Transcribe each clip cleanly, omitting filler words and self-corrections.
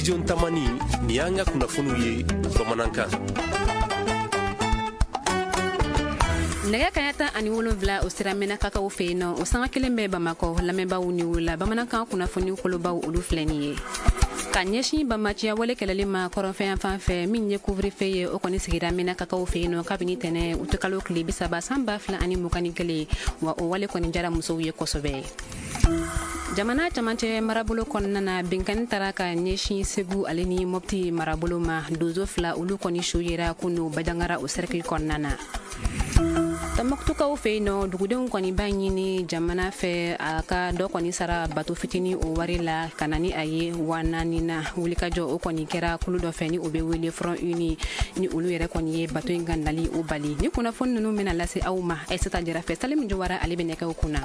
Studio Tamani, nin y'an ka kunnafoniw ye bamanankan. Nɛgɛ kaɲa 17, o sira Mɛnakakaw fɛ yen nɔ, o sanga kelen bɛ Bamakɔ. Lamɛnbaaw ni wula, bamanankan kunnafoni kolobaw, olu filɛ nin ye. Ka ɲɛsin bamaciya wale kɛlɛli ma kɔrɔnfɛyan fan fɛ, min ye couvre-feu ye, o kɔni sigira Mɛnakakaw fɛ yen nɔ kabini tɛnɛ utikalo tile 30 san 2021. Wa o wale kɔni jara musow ye kosɛbɛ. Jamana camancɛ marabolo kɔnɔna na, binkanni taara ka ɲɛsin Segu ale ni Mɔpti marabolo ma. Donso fila, olu kɔni su yera kunu Bajangara, o cercle kɔnɔna na. Tɔnbɔkutukaw fɛ yen nɔ, dugudenw kɔni b'a ɲini jamana fɛ a ka dɔ kɔni sara bato fitinin o wari la ka na ni a ye 4000 na. Wulikajɔ o kɔni kɛra kulu dɔ fɛ ni o bɛ wele Front Uni, ni olu yɛrɛ kɔni ye bato in ka nali o bali. Ni kunnafoni ninnu bɛna lase aw ma Aïssata Jara fɛ, Salim Jawara ale bɛ nɛgɛw kunna.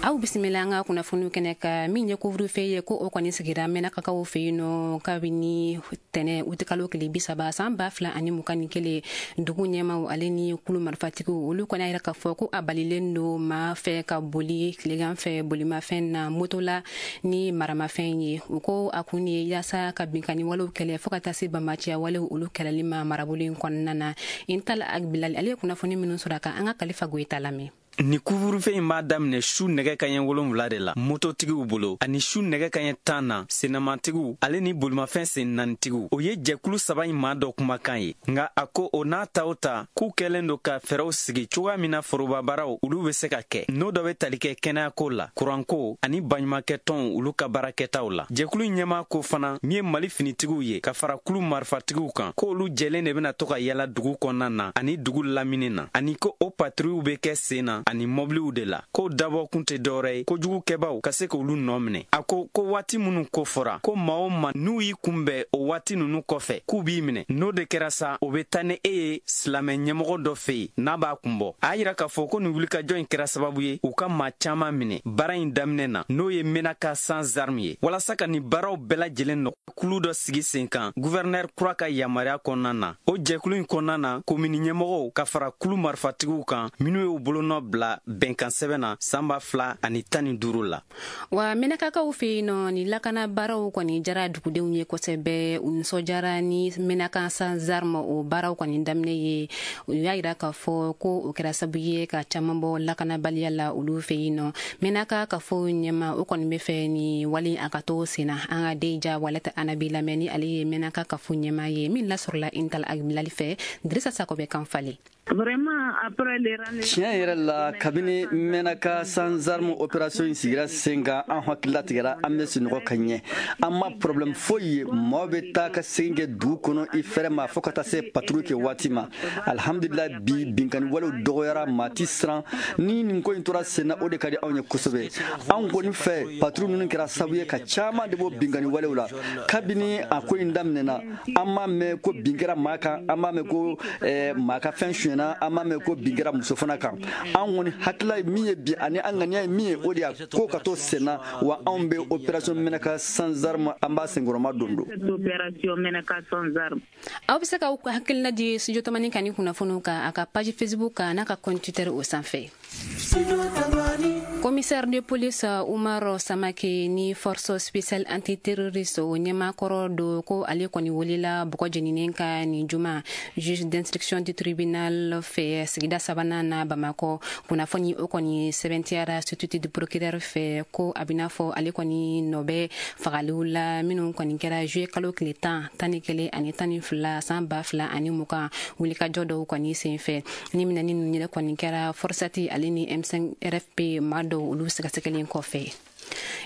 Aw bisimila an ka kunnafoniw kɛnɛ kan. Min ye couvre-feu ye, ko o kɔni sigira Mɛnakakaw fɛ yen nɔ kabini tɛnɛ utikalo tile 30 san 2021. Dugu ɲɛmaw ale ni kulu marifatigiw, olu kɔni y'a yira k'a fɔ ko a balilen don maa fɛ ka boli tilegan fɛ bolimafɛn na, moto la ni maramafɛn ye. U ko a kun ye yaasa ka binkanni walew kɛlɛ, fo ka taa se bamaciya walew olu kɛlɛli ma marabolo in kɔnɔna na. Intal Agbilal ale ye kunnafoni minnu sɔrɔ a kan, an ka Kalifa Goyita lamɛn. Ni couvre-feu in b'a daminɛ su nɛgɛ kaɲɛ 7 de la mototigiw bolo, ani su nɛgɛ kaɲɛ 10 na sennamatigiw ale ni bolimafɛn sen naanitigiw. O ye jɛkulu saba in maa dɔ kumakan ye. Nka a ko o n'a ta o ta, k'u kɛlen don ka fɛɛrɛw sigi cogoya min na forobabaaraw olu bɛ se ka kɛ, n'o dɔ bɛ tali kɛ kɛnɛyako la, kuranko ani baɲumankɛtɔnw olu ka baarakɛtaw la. Jɛkulu in ɲɛmaa ko fana, min ye Mali finitigiw ye ka fara kulu marifatigiw kan, k'olu jɛlen de bɛna to ka yala dugu kɔnɔna na ani dugu lamini na, ani ko o patrouillew bɛ kɛ sen na ani mɔbiliw de la, k'o dabɔkun tɛ dɔwɛrɛ ye kojugukɛbaw ka se k'olu nɔ minɛ. A ko ko waati minnu ko fɔra, ko maa o maa n'u y'i kunbɛn o waati ninnu kɔfɛ, k'u b'i minɛ. N'o de kɛra sa, o bɛ taa ni e ye silamɛ ɲɛmɔgɔ dɔ fɛ yen n'a b'a kunbɔ. A y'a yira k'a fɔ ko nin wulikajɔ in kɛra sababu ye u ka maa caman minɛ baara in daminɛ na, n'o ye Menaka sans armes ye. Walasa ka nin baaraw bɛɛ lajɛlen nɔ, kulu dɔ sigi sen kan guvɛrnɛr kura ka yamaruya kɔnɔna na. O jɛkulu in kɔnɔna na, komini ɲɛmɔgɔw ka fara kulu marifatigiw kan minnu y'u bolonɔ bila bɛnkan sɛbɛn na san 2015 la. Wa Mɛnakakaw fɛ yen nɔ, ni lakana baaraw kɔni jara dugudenw ye kosɛbɛ. U nisɔndiyara ni Menaka sans armes o baaraw kɔni daminɛ ye. U y'a yira k'a fɔ ko o kɛra sababu ye ka caman bɔ lakanabaliya la olu fɛ yen nɔ. Menaka ka fɔ ɲɛma, o kɔni bɛ fɛ ni wale a ka to sen na. An ka Deja Walata Anabi lamɛn, ni ale ye Menaka ka fɔ ɲɛma ye, min lasɔrɔla Intal Agbilali fɛ. Dirisa Sako bɛ kan falen. Tiɲɛ yɛrɛ la, kabini Mɛnaka sans armes opération in sigira sen kan, an hakili latigɛra, an bɛ sunɔgɔ ka ɲɛ, an ma problème foyi ye. Mɔɔ bɛ taa ka segin kɛ dugu kɔnɔ i fɛrɛ ma, fo ka taa se patrouille kɛ waati ma. Alhamdulillah, bi binkani walew dɔgɔyara, maa ti siran. Ni nin ko in tora sen na, o de ka di anw ye kosɛbɛ. Anw kɔni fɛ, patrouille ninnu kɛra sababu ye ka caman de bɔ binkani walew la. Kabini a ko in daminɛna, an m'a mɛn ko bin kɛra maa kan, an m'a mɛn ko maa ka fɛn sonyɛna, an m'a mɛn ko bin kɛra muso fana kan. An kɔni hakilila ye min ye bi, ani an ŋaniya ye min ye, o de y'a ko ka to sen na. Wa anw bɛ opération Menaka sans armes, an b'a senkɔrɔma don don. Aw bɛ se k'aw hakilina di Studio Tamani kan ni kunnafoniw kan a ka page Facebook kan n'a ka compte Twitter o sanfɛ. Commissaire de police Umar Samake, ni force spéciale antiterroriste o ɲɛmaakɔrɔ do, ko ale kɔni welela bɔgɔ jeninen ka nin juma juge d'instruction du tribunal fɛ sigida sabanan na Bamakɔ. Kunnafoni o kɔni sɛbɛntiyara substitut du procureur fɛ, ko a bɛna fɔ ale kɔni nɔ bɛ fagaliw la minnu kɔni kɛra juillet kalo tile 10, 11 ani 12 san 2020, wulikajɔ dɔw kɔni senfɛ. Ni minɛni ninnu yɛrɛ kɔni kɛra FORSAT ale ni M5 RFP maa dɔw olu sɛgɛsɛgɛlen kɔfɛ.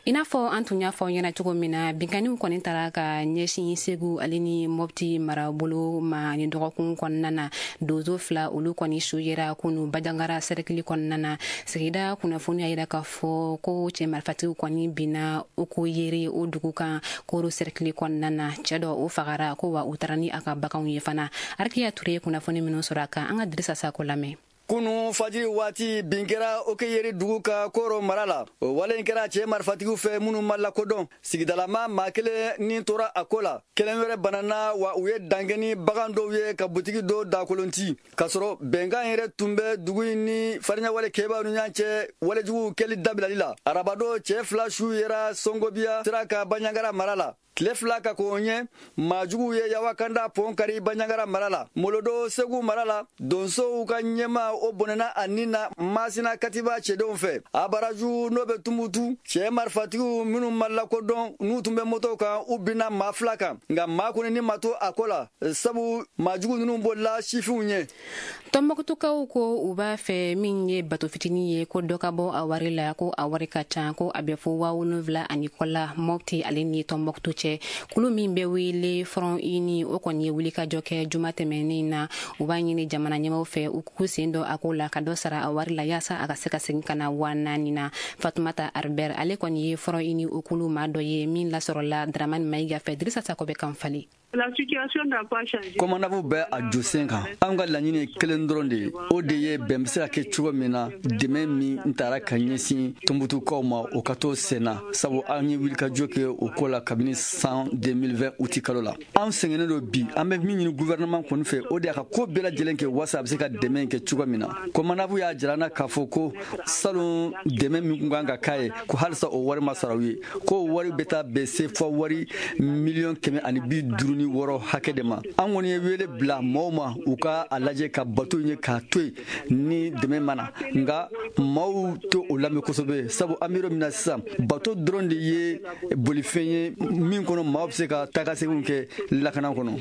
I n'a fɔ an tun y'a fɔ ɲɛna cogo min na, binkanniw kɔni taara ka ɲɛsin Segu ale ni Mɔpti marabolo ma ni dɔgɔkun kɔnɔna na. Donso fila, olu kɔni su yera kunu Bajangara sɛrɛkili kɔnɔna na. Sigida kunnafoni y'a yira k'a fɔ ko cɛ marifatigiw kɔni binna o ko yere o dugu kan Koro sɛrɛkili kɔnɔna na. Cɛ dɔ o fagara ko, wa u taara ni a ka baganw ye fana. Arikiya Ture ye kunnafoni minnu sɔrɔ a kan, an ka Dirisa Sako lamɛn. Kunu fajiri waati bin kɛra Okeyeri dugu ka Koro mara la. O wale in kɛra cɛ marifatigiw fɛ minnu ma lakodɔn. Sigidalama maa kelen ni tora a ko la, kelen wɛrɛ banana, wa u ye dankɛ ni bagan dɔw ye ka butigi dɔw dakolonti, k'a sɔrɔ bɛnkan yɛrɛ tun bɛ dugu in ni fariɲawale kɛbaaw ni ɲɔgɔn cɛ walejuguw kɛli dabilali la. Arabadon, cɛ 2 su yera Songobiya sira ka Baɲangara mara la. Tile 2 ka k'o ɲɛ, maajuguw ye Yawakanda pɔn kari Baɲangara mara la. Molodo, Segu mara la, donsow ka ɲɛma o bɔnɛna a nin na Masina Katiba cɛdenw fɛ. Abaraju, n'o bɛ Tumutu, cɛ marifatigiw minnu ma lakodɔn, n'u tun bɛ motow kan, u binna maa 2 kan, nka maa kɔni ni ma to a ko la, sabu maajugu ninnu bolila sifinw ɲɛ. Tɔnbɔkutukaw ko u b'a fɛ min ye bato fitinin ye, ko dɔ ka bɔ a wari la, ko a wari ka ca, ko a bɛ fo 7000 ani kɔ la Mɔpti ale ni Tɔnbɔkutu cɛ. Kulu min bɛ wele Front Uni, o kɔni ye wulikajɔ kɛ juma tɛmɛnen na. U b'a ɲini jamana ɲɛmaw fɛ u k'u sen dɔ a ko la ka dɔ sara a wari la, yaasa a ka se ka segin ka na 4000 na. Fatumata Arbert, ale kɔni ye Front Uni o kulu maa dɔ ye min lasɔrɔla Dramani Mayiga fɛ. Dirisa Sakɔ bɛ kan falen. COMANAV bɛ a jɔ sen kan. An ka laɲini ye kelen dɔrɔn de ye, o de ye bɛn bɛ se ka kɛ cogo min na, dɛmɛ min taara ka ɲɛsin Tɔnbukutukaw ma, o ka to sen na, sabu an ye wulikajɔ kɛ o ko la kabini san 2020 uti kalo la. An sɛgɛnnen don bi. An bɛ min ɲini gouvernement kɔni fɛ, o de y'a ka ko bɛɛ lajɛlen kɛ walasa a bɛ se ka dɛmɛ kɛ cogo min na. COMANAV y'a jira an na k'a fɔ ko salon dɛmɛ min kun kan ka k'a ye, ko halisa o wari ma sara u ye, ko wari bɛ taa bɛn CFA wari 156 miliyɔn hakɛ de ma. An kɔni ye wele bila maaw ma, u ka a lajɛ ka bato ye k'a to yen ni dɛmɛ ma na, nka maaw to o lamɛn kosɛbɛ, sabu an bɛ yɔrɔ min na sisan, bato dɔrɔn de ye bolifɛn ye min kɔnɔ maaw bɛ se ka taa seginw kɛ lakana kɔnɔ.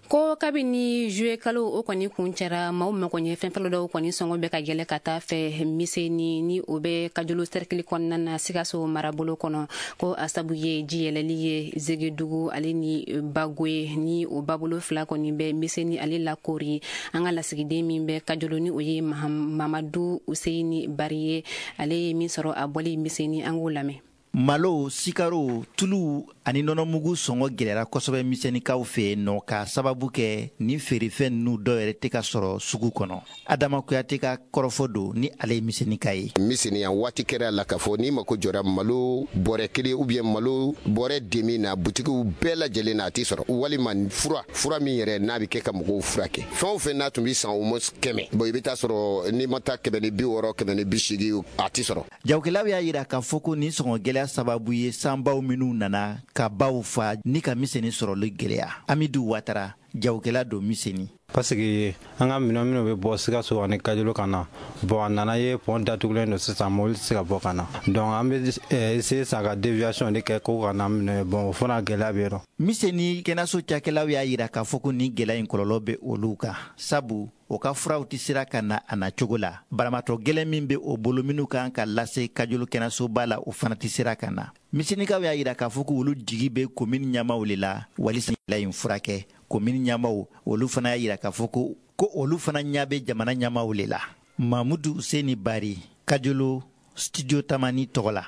Ko kabini juillet kalo o kɔni kun cɛra, maaw mago ɲɛ fɛn fɔlɔ dɔw kɔni sɔngɔ bɛ ka yɛlɛ ka taa fɛ Miseni, ni o bɛ Kajolo cercle kɔnɔna na, Sikaso marabolo kɔnɔ, ko a sabu ye ji yɛlɛli ye Zegedugu ale ni Bagoye, ni o babolo 2 kɔni bɛ Miseni ale lakori. An ka lasigiden min bɛ Kajolo, ni o ye Mamadu Useyini Bari ye, ale ye min sɔrɔ a bɔli Miseni, an k'o lamɛn. Malo, sikaro, tulu ani nɔnɔmugu sɔngɔ gɛlɛyara kosɛbɛ Misɛnnikaw fɛ yen nɔ, k'a sababu kɛ ni feerefɛn ninnu dɔw yɛrɛ tɛ ka sɔrɔ sugu kɔnɔ. Adama Kuyate ka kɔrɔfɔ don, ni ale ye Misɛnnika ye. Misɛnniya waati kɛra la k'a fɔ n'i mako jɔra malo bɔrɛ kelen ou bien malo bɔrɛ demi na, butigiw bɛɛ lajɛlen na, a t'i sɔrɔ, walima fura min yɛrɛ n'a bɛ kɛ ka mɔgɔw furakɛ. Fɛn o fɛn n'a tun bɛ san au moins 100, bon, i bɛ taa sɔrɔ n'i ma taa 160, 180, a t'i sɔrɔ. Jagokɛlaw y'a yira k'a fɔ ko nin sɔngɔ gɛlɛya sababu ye sanbaw minnu nana ka baw fa ni ka Misɛnni sɔrɔli gɛlɛya. Amidu Watara, jagokɛla don Misɛnni. Parce que an ka minɛn minnu bɛ bɔ Sikaso ani Kajolo ka na, bon, a nana ye pont datugulen don sisan, mobili tɛ se ka bɔ ka na, donc an bɛ essayer sa ka déviation de kɛ ko ka na minɛ. Bon, o fana gɛlɛya bɛ yen nɔ. Misɛnni kɛnɛyaso cakɛlaw y'a yira k'a fɔ ko nin gɛlɛya in kɔlɔlɔ bɛ olu kan, sabu o ka furaw tɛ sera ka na a na cogo la. Banabaatɔ gɛlɛn min bɛ o bolo minnu kan ka lase Kajolo kɛnɛyasoba la, o fana tɛ sera ka na. Misɛnnikaw y'a yira k'a fɔ ko olu jigi bɛ komini ɲɛmaw de la walisa in furakɛ. Komini ɲɛmaw, olu fana y'a yira k'a fɔ ko olu fana ɲɛ bɛ jamana ɲɛmaw de la. Mamudu Seni Bari, Kajolo, Studio Tamani tɔgɔ la.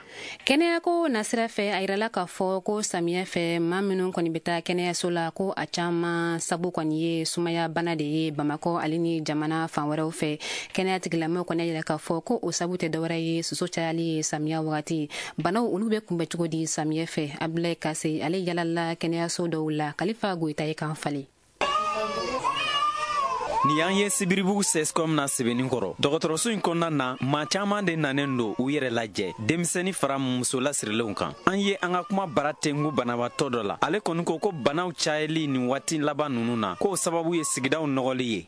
Kɛnɛyako nasira fɛ, a yirala k'a fɔ ko samiyɛ fɛ, maa minnu kɔni bɛ taa kɛnɛyaso la, ko a caman sabu kɔni ye sumaya bana de ye Bamakɔ ale ni jamana fan wɛrɛw fɛ. Kɛnɛya tigilamɔgɔw kɔni y'a yira k'a fɔ ko o sabu tɛ dɔwɛrɛ ye soso cayali ye samiya wagati. Banaw olu bɛ kunbɛ cogo di samiyɛ fɛ? Abulayi Kase, ale yalala kɛnɛyaso dɔw la. Kalifa Goyita ye kan falen. Nin y'an ye Sibiribugu CSCOM na Sɛbɛnni kɔrɔ. Dɔgɔtɔrɔso in kɔnɔna na, maa caaman de nanen don u yɛrɛ lajɛ, denmisɛnni fara muso lasirilenw kan. An ye an ka kuma bara tengu banabaatɔ dɔ la. Ale kɔni ko ko banaw cayali nin waati laban nunu na, k'o sababu ye sigidaw nɔgɔli ye.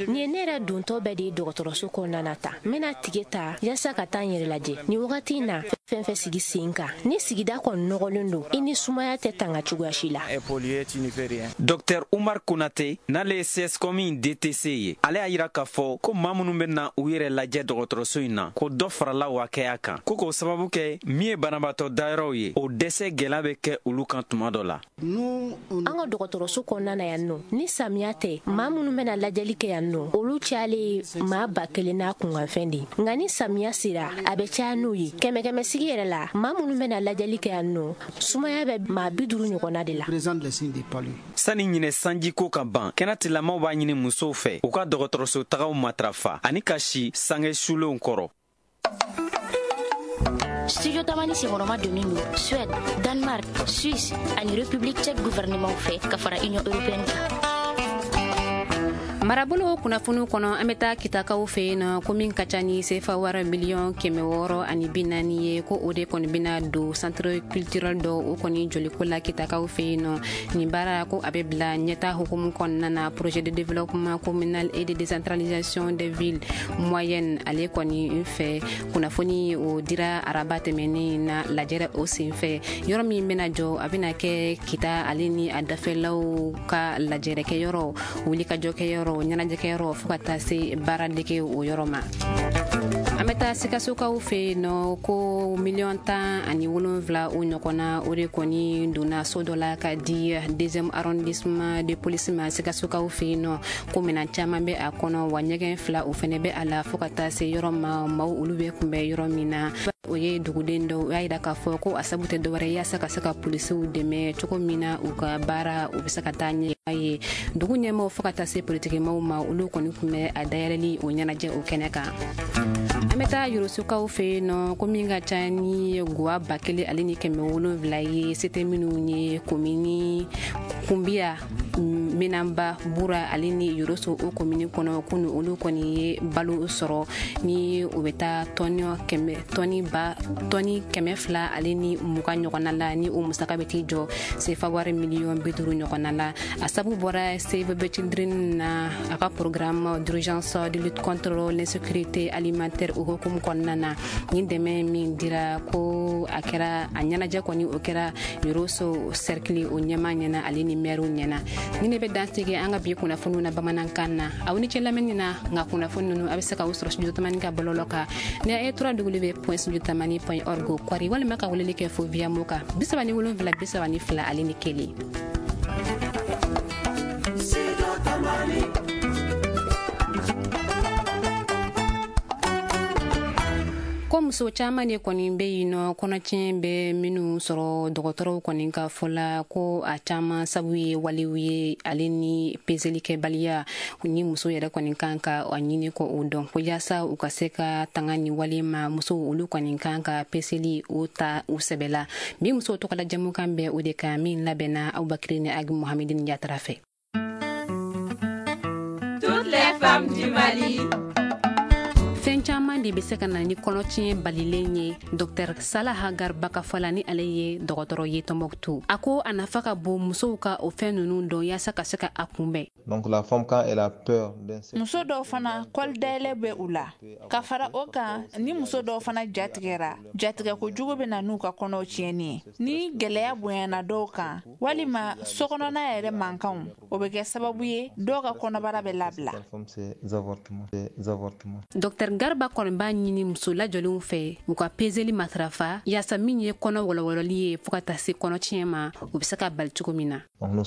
Nin ye ne yɛrɛ dontɔ bɛɛ de ye dɔgɔtɔrɔso kɔnɔna na ta. N bɛna tige ta yaasa ka taa n yɛrɛ lajɛ. Nin wagati in na, fɛn fɛn sigi sen kan, ni sigida kɔni nɔgɔlen don, i ni sumaya tɛ tanga cogoya si la. Dr Umar Konate, n'ale ye CSCOM DTC ye, ale y'a yira k'a fɔ ko maa minnu bɛ na u yɛrɛ lajɛ dɔgɔtɔrɔso in na, ko dɔ farala o hakɛya kan, ko k'o sababu kɛ min ye banabaatɔ dayɔrɔw ye, o dɛsɛ gɛlɛya bɛ kɛ olu kan tuma dɔ la. An ka dɔgɔtɔrɔso kɔnɔna na yan nɔ, ni samiya tɛ, maa minnu bɛna lajɛli kɛ yan nɔ, olu cayalen ye maa 1000 n'a kunkanfɛn de. Nka ni samiya sera, a bɛ caya n'o ye. Kɛmɛ kɛmɛ sigi yɛrɛ la, maa minnu bɛna lajɛli kɛ yan nɔ, sumaya bɛ maa 50 ɲɔgɔnna de la. Sani ɲinɛ sanjiko ka ban, kɛnɛtilamaw b'a b'a ɲini musow fɛ u ka dɔgɔtɔrɔso tagaw matarafa ani ka si sange sulenw kɔrɔ. Studio Tamani senkɔrɔma donnen don Suède, Danemark, Suisse ani République tchèque gouvernement fɛ ka fara Union européenne kan. Marabolo kunnafoniw kɔnɔ, an bɛ taa Kitakaw fɛ yen nɔ, ko min ka ca ni sefa wari miliyɔn 640 ye, ko o de kɔni bɛna don centre culturel dɔ o kɔni joliko la Kitakaw fɛ yen nɔ. Nin baara, ko a bɛ bila ɲɛta hukumu kɔnɔna na, projet de développement communal et de décentralisation des villes moyennes ale kɔni fɛ. Kunnafoni o dira araba tɛmɛnen na lajɛrɛ o senfɛ. Yɔrɔ min bɛna jɔ, a bɛna kɛ Kita ale ni a dafɛlaw ka lajɛrɛkɛyɔrɔ, wulikajɔkɛyɔrɔ, ɲɛnajɛkɛyɔrɔ, fo ka taa se baaradege o yɔrɔ ma. An bɛ taa Sikasokaw fɛ yen nɔ, ko miliyɔn 17 o ɲɔgɔnna, o de kɔni donna so dɔ la ka di deuxième arrondissement de police ma Sikasokaw fɛ yen nɔ, ko minɛn caman bɛ a kɔnɔ, wa ɲɛgɛn fila o fɛnɛ bɛ a la, fo ka taa se yɔrɔ ma maaw olu bɛ kunbɛn yɔrɔ min na. O ye duguden dɔw y'a yira k'a fɔ ko a sabu tɛ dɔwɛrɛ, yaasa ka se ka polisiw dɛmɛ cogo min na u ka baara u bɛ se ka taa ɲɛ ye. Dugu ɲɛmaw fo ka taa se politikimaw ma, olu kɔni tun bɛ a dayɛlɛli o ɲɛnajɛ o kɛnɛ kan. An bɛ taa Yorosokaw fɛ yen nɔ, ko min ka ca ni guwa 1700 ye, se tɛ minnu ye, komini Kunbiya, Minanba, Bura ale ni Yoroso o komini kɔnɔ, kunu olu kɔni ye balo sɔrɔ ni o bɛ taa tɔni kɛmɛ tɔni ba tɔni 220 ɲɔgɔnna la, ni o musaka bɛ t'i jɔ sefa wari miliyɔn 50 ɲɔgɔnna la. A sabu bɔra Save the Children na, a ka programme d'urgence de lutte contre l'insécurité alimentaire o hukumu kɔnɔna na. Ni dɛmɛ min dira, ko a kɛra a ɲɛnajɛ kɔni o kɛra Yoroso cercle o ɲɛma ɲɛna ale ni maire ɲɛna. Ni ne bɛ dansigi an ka bi kunnafoniw na bamanankan na. Aw ni ce lamɛnni na. Nka kunnafoni ninnu, a bɛ se k'aw sɔrɔ Studio Tamani ka bɔlɔlɔ kan ni a ye www.studiotamani.org kɔri, walima ka weleli kɛ fo via mo kan 77 32 ale ni 1. Studio Tamani. Ko muso caman de kɔni bɛ yen nɔ, kɔnɔtiɲɛ bɛ minnu sɔrɔ, dɔgɔtɔrɔw kɔni ka fɔ la, ko a caman sabu ye walew ye ale ni peselikɛbaliya ni muso yɛrɛ kɔni kan ka a ɲini ko o dɔn, ko yaasa u ka se ka tanga ni wale ma, musow olu kɔni kan ka peseli o ta u sɛbɛ la. Bi musow tɔgɔla jɛmukan bɛ o de kan, min labɛnna Abubakiri ni Agi Muhamedini Yatara fɛ. Toutes les femmes du Mali. Fɛn caman de bɛ se ka na ni kɔnɔtiɲɛ balilen ye. Dr Salaha Garba ka fɔ la, ni ale ye dɔgɔtɔrɔ ye Tɔnbɔkutu, a ko a nafa ka bon musow ka o fɛn ninnu dɔn yaasa ka se ka a kunbɛn. Donc la femme, quand elle a peur Muso dɔw fana, kɔli dayɛlɛ bɛ u la. Ka fara o kan, ni muso dɔw fana jatigɛra, jatigɛ kojugu bɛ na n'u ka kɔnɔw tiɲɛni ye. Ni gɛlɛya bonyana dɔw kan, walima sokɔnɔna yɛrɛ mankanw, o bɛ kɛ sababu ye dɔw ka kɔnɔbara bɛ labila. Dr Garba kɔni b'a ɲini muso lajɔlenw fɛ u ka peseli matarafa, yaasa min ye kɔnɔ wɔlɔwɔlɔli ye fɔɔ ka taa se kɔnɔtiɲɛ ma, u bɛ se ka bali cogo min na. An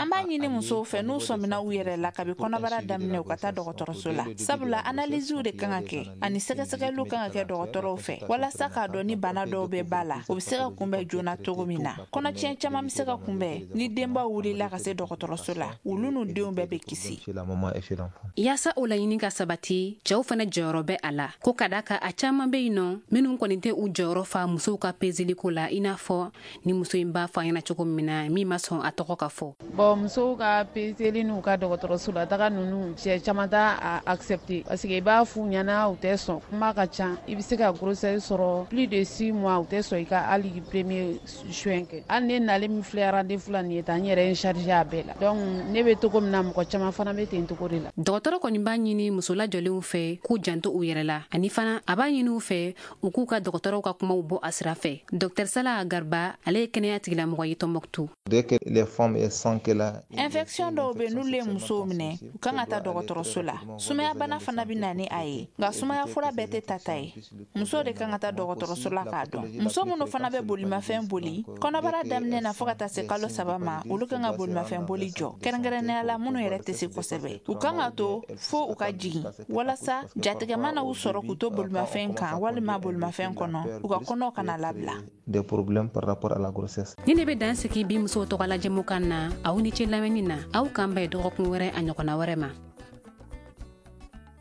b'a ɲini musow fɛ, n'u sɔmina u yɛrɛ la kabi kɔnɔbara daminɛ, u ka taa dɔgɔtɔrɔso la, sabula analysew de kan ka kɛ ani sɛgɛsɛgɛliw kan ka kɛ dɔgɔtɔrɔw fɛ, walasa k'a dɔn ni bana dɔw bɛ ba la, o bɛ se ka kunbɛn joona cogo min na. Kɔnɔtiɲɛ caman bɛ se ka kunbɛn ni denbaw wulila ka se dɔgɔtɔrɔso la, olu n'u denw bɛɛ bɛ kisi. Yaasa o laɲini ka sabati, cɛw fana jɔyɔrɔ bɛ a la, ko ka da kan a caman bɛ yen nɔ minnu kɔni tɛ u jɔyɔrɔ fa musow ka peseliko la, i n'a fɔ ni muso in b'a fɔ a ɲɛna cogo min na, min ma sɔn a tɔgɔ ka fɔ. Bon, musow ka peseli n'u ka dɔgɔtɔrɔso la taga ninnu, cɛ caman t'a a accepter, parce que i b'a f'u ɲɛna, u tɛ sɔn. Kuma ka ca. I bɛ se ka grossesse sɔrɔ plus de 6 mois, u tɛ sɔn i ka hali premier soin kɛ. Hali ne nalen min filɛ rendez-vous la nin ye tan, n yɛrɛ ye n chargé a bɛɛ la. Donc ne bɛ cogo min na, mɔgɔ caman fana bɛ ten cogo de la. Dɔgɔtɔrɔ kɔni b'a ɲini muso lajɔlenw fɛ k'u janto u yɛrɛ la, ani fana a b'a ɲini u fɛ u k'u ka dɔgɔtɔrɔw ka kumaw bɔ a sira fɛ. Dr Salah Garba, ale ye kɛnɛya tigilamɔgɔ ye Tɔnbɔkutu. Infection dɔw bɛ, n'olu ye musow minɛ, u kan ka taa dɔgɔtɔrɔso la. Sumaya bana fana bɛ na ni a ye, nka sumaya fura bɛɛ tɛ tata ye. Muso de kan ka taa dɔgɔtɔrɔso la k'a dɔn. Muso minnu fana bɛ bolimafɛn boli kɔnɔbara daminɛ na fo ka taa se kalo 3 ma, olu kan ka bolimafɛn boli jɔ, kɛrɛnkɛrɛnnenya la minnu yɛrɛ tɛ se kosɛbɛ. U kan ka to fo u ka jigin walasa Jatigɛ mana u sɔrɔ k'u to bolimafɛn kan walima bolimafɛn kɔnɔ, u ka kɔnɔw kana labila. Des problèmes par rapport à la grossesse. Ni ne bɛ dan sigi bi musow tɔgɔ la jɛmukan na. Aw ni ce lamɛnni na. Aw kan bɛn dɔgɔkun wɛrɛ, a ɲɔgɔnna wɛrɛ ma.